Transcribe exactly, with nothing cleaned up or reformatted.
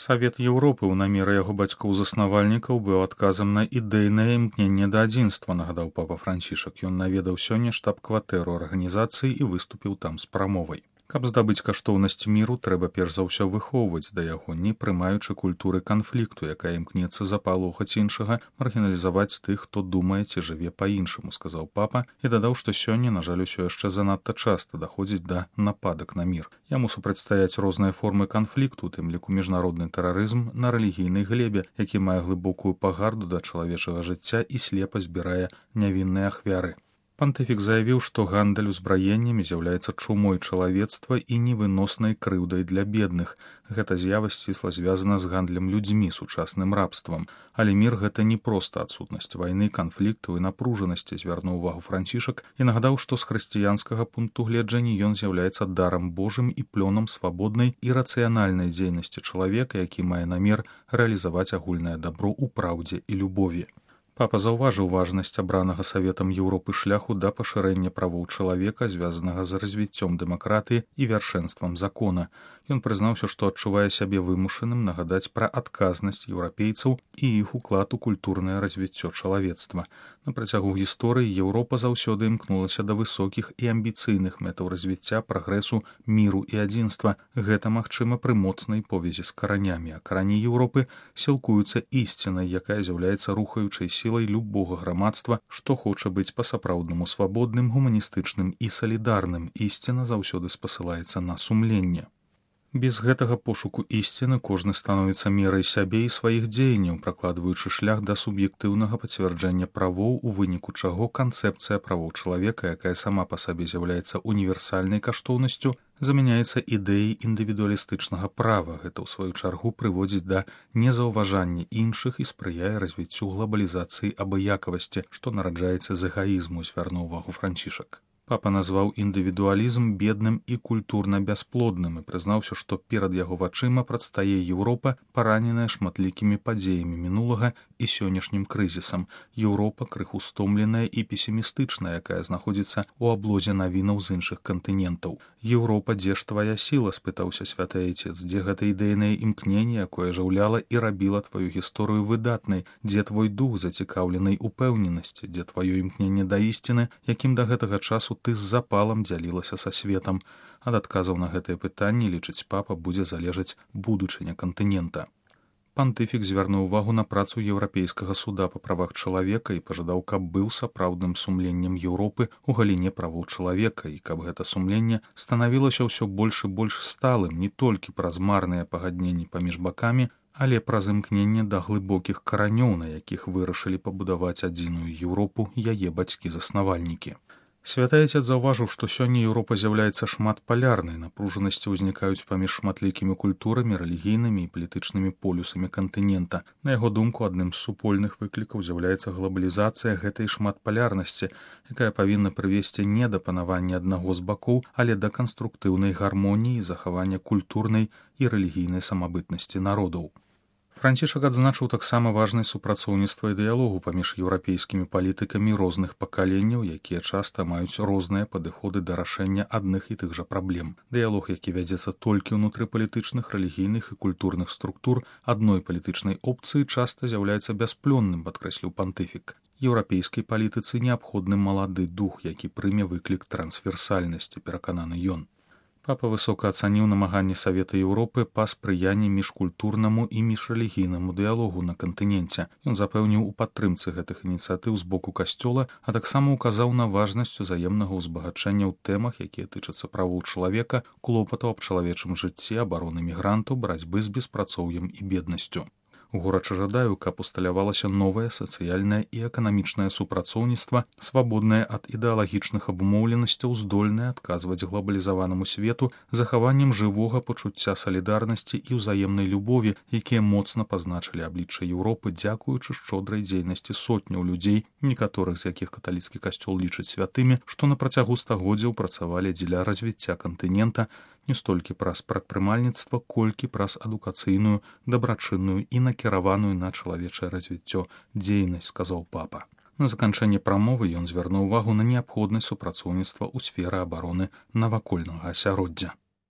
Савет Еўропы ў намеры яго бацькоў-заснавальнікаў быў адказам на ідэйнае імкненне да адзінства, нагадаў папа Францішак. Ён наведаў сёння штаб-кватэру арганізацыі і выступіў там з прамовай. Каб здабыць каштоўнасць міру, трэба перш за ўсё выхоўваць да яго, не прымаючы культуры канфлікту, якая імкнецца запалохаць іншага, маргіналізаваць тых, хто думае ці жыве па-іншаму, сказаў папа, і дадаў, што сёння, на жаль, усё яшчэ занадта часта даходзіць да нападак на мір. Яму супрацьстаяць розныя формы канфлікту, у тым ліку міжнародны тэрарызм на рэлігійнай глебе, які мае глыбокую пагарду да чалавечага жыцця і слепа збірае нявінныя ахвяры. Пантыфік заявіў, што гандаль узбраеннямі з'яўляецца чумой чалавецтва і невыноснай крыўдай для бедных. Гэта з'ява сцісла звязана з гандлем людзьмі, сучасным рабствам. Але мір гэта не проста адсутнасць вайны, канфліктаў і напружанасці, звярнуў увагу Францішак і нагадаў, што з хрысціянскага пункту гледжання ён з'яўляецца дарам Божым і плёнам свабоднай і рацыянальнай дзейнасці чалавека, які мае намер рэалізаваць агульнае дабро ў праўдзе і любові. Папа заўважыў важнасць абранага Саветам Еўропы шляху да пашырэння правоў чалавека, звязанага з развіццём дэмакратыі і вяршэнствам закона. Ён прызнаўся, што адчувае сябе вымушаным нагадаць пра адказнасць еўрапейцаў і іх уклад у культурнае развіццё чалавецтва. На працягу гісторыі Еўропа заўсёды імкнулася да высокіх і амбіцыйных мэтаў развіцця, прагрэсу, міру і адзінства. Гэта магчыма пры моцнай повязі з каранямі, а карані Еўропы сілкуюцца ісцінай, якая з'яўляецца рухаючай сілай любога грамадства, што хоча быць па-сапраўднаму свабодным, гуманістычным і салідарным. Ісціна заўсёды спасылаецца на сумленне. Без гэтага пошуку ісціны кожны становіцца мерай сябе і сваіх дзеянняў, пракладваючы шлях да суб'ектыўнага пацвярджэння правоў, у выніку чаго канцэпцыя правоў чалавека, якая сама па сабе з'яўляецца універсальнай каштоўнасцю, замяняецца ідэяй індывідуалістычнага права. Гэта, ў сваю чаргу, прыводзіць да незаўважання іншых і спрыяе развіццю глабалізацыі абыякавасці, што нараджаецца з эгаізму, звярнуў увагу Францішак. Папа назваў індывідуалізм бедным і культурна бясплодным і прызнаўся, што перад яго вачыма прадстае Еўропа, параненая шматлікімі падзеямі мінулага і сённяшнім крызісам. Еўропа крыху стомленая і песімістычная, якая знаходзіцца ў аблозе навінаў з іншых кантынентаў. Еўропа, дзе ж твая сіла, спытаўся святы айцец, дзе гэта ідэйнае імкненне, якое жыўляла і рабіла тваю гісторыю выдатнай, дзе твой дух зацікаўленай упэўненасці, дзе тваё імкненне да ісціны, якім да гэтага часу ты з запалам дзялілася са светам. Ад адказаў на гэтыя пытанні, лічыць папа, будзе залежаць будучыня кантынента. Пантыфік звярнуў увагу на працу Еўрапейскага суда па правах чалавека і пажадаў, каб быў сапраўдным сумленнем Еўропы ў галіне правоў чалавека і каб гэта сумленне станавілася ўсё больш і больш сталым не толькі праз марныя пагадненні паміж бакамі, але праз імкненне да глыбокіх каранёў, на якіх вырашылі пабудаваць адзіную Еўропу яе бацькі-заснавальнікі. Святы айцец заўважыў, што сёння Еўропа з'яўляецца шматпалярнай, напружанасці ўзнікаюць паміж шматлікімі культурамі, рэлігійнымі і палітычнымі полюсамі кантынента. На яго думку, адным з супольных выклікаў з'яўляецца глабалізацыя гэтай шматпалярнасці, якая павінна прывесці не да панавання аднаго з бакоў, але да канструктыўнай гармоніі і захавання культурнай і рэлігійнай самабытнасці народаў. Францішак адзначыў таксама важнасць супрацоўніцтва і дыялогу паміж еўрапейскімі палітыкамі розных пакаленняў, якія часта маюць розныя падыходы да рашэння адных і тых жа праблем. Дыялог, які вядзецца толькі ўнутры палітычных, рэлігійных і культурных структур адной палітычнай опцыі, часта з'яўляецца бясплённым, падкрэсліў пантыфік. Еўрапейскай палітыцы неабходны малады дух, які прыме выклік трансверсальнасці, перакананы ён. Папа высока ацаніў намаганні Савета Еўропы па спрыянні міжкультурнаму і міжрэлігійнаму дыялогу на кантыненце. Ён запэўніў у падтрымцы гэтых ініцыятыў з боку касцёла, а таксама ўказаў на важнасць узаемнага ўзбагачэння ў тэмах, якія тычацца правоў чалавека, клопатаў аб чалавечым жыцці, абароны мігрантаў, барацьбы з беспрацоўем і беднасцю. Горача жадаю, каб усталявалася новае сацыяльнае і эканамічнае супрацоўніцтва, свабоднае ад ідэалагічных абумоўленасцяў, здольнае адказваць глабалізаванаму свету захаваннем жывога пачуцця салідарнасці і ўзаемнай любові, якія моцна пазначылі аблічча Еўропы, дзякуючы шчодрай дзейнасці сотняў людзей, некаторых з якіх каталіцкі касцёл лічыць святымі, што на працягу стагоддзяў працавалі дзеля развіцця кантынента, не столькі праз прадпрымальніцтва, колькі праз адукацыйную, дабрачынную і накіраваную на чалавечае развіццё дзейнасць, сказаў папа. На заканчэнне прамовы ён звярнуў увагу на неабходнасць супрацоўніцтва ў сферы абароны навакольнага асяроддзя.